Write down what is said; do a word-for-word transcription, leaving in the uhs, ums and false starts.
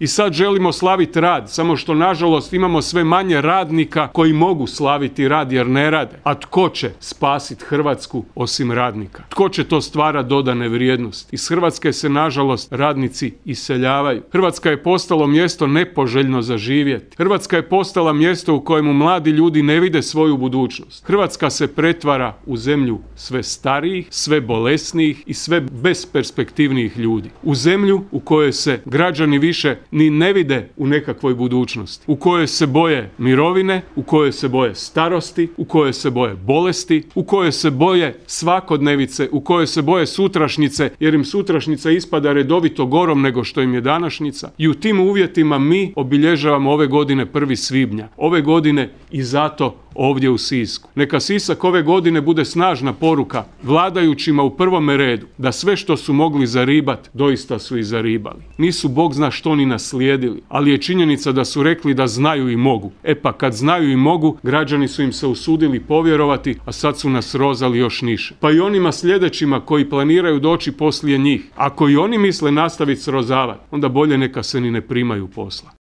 I sad želimo slaviti rad, samo što nažalost imamo sve manje radnika koji mogu slaviti rad jer ne rade. A tko će spasiti Hrvatsku osim radnika? Tko će to stvarati dodane vrijednosti? Iz Hrvatske se nažalost radnici iseljavaju. Hrvatska je postalo mjesto nepoželjno za živjeti. Hrvatska je postala mjesto u kojemu mladi ljudi ne vide svoju budućnost. Hrvatska se pretvara u zemlju sve starijih, sve bolesnijih i sve besperspektivnijih ljudi. U zemlju u kojoj se građani više ni ne vide u nekakvoj budućnosti, u kojoj se boje mirovine, u kojoj se boje starosti, u kojoj se boje bolesti, u kojoj se boje svakodnevice, u kojoj se boje sutrašnjice, jer im sutrašnjica ispada redovito gorom nego što im je današnjica. I u tim uvjetima mi obilježavamo ove godine prvi svibnja. Ove godine i zato ovdje u Sisku. Neka Sisak ove godine bude snažna poruka vladajućima u prvome redu da sve što su mogli zaribat, doista su i zaribali. Nisu Bog zna što ni naslijedili, ali je činjenica da su rekli da znaju i mogu. E pa kad znaju i mogu, građani su im se usudili povjerovati, a sad su nas rozali još niže. Pa i onima sljedećima koji planiraju doći poslije njih, ako i oni misle nastaviti srozavati, onda bolje neka se ni ne primaju posla.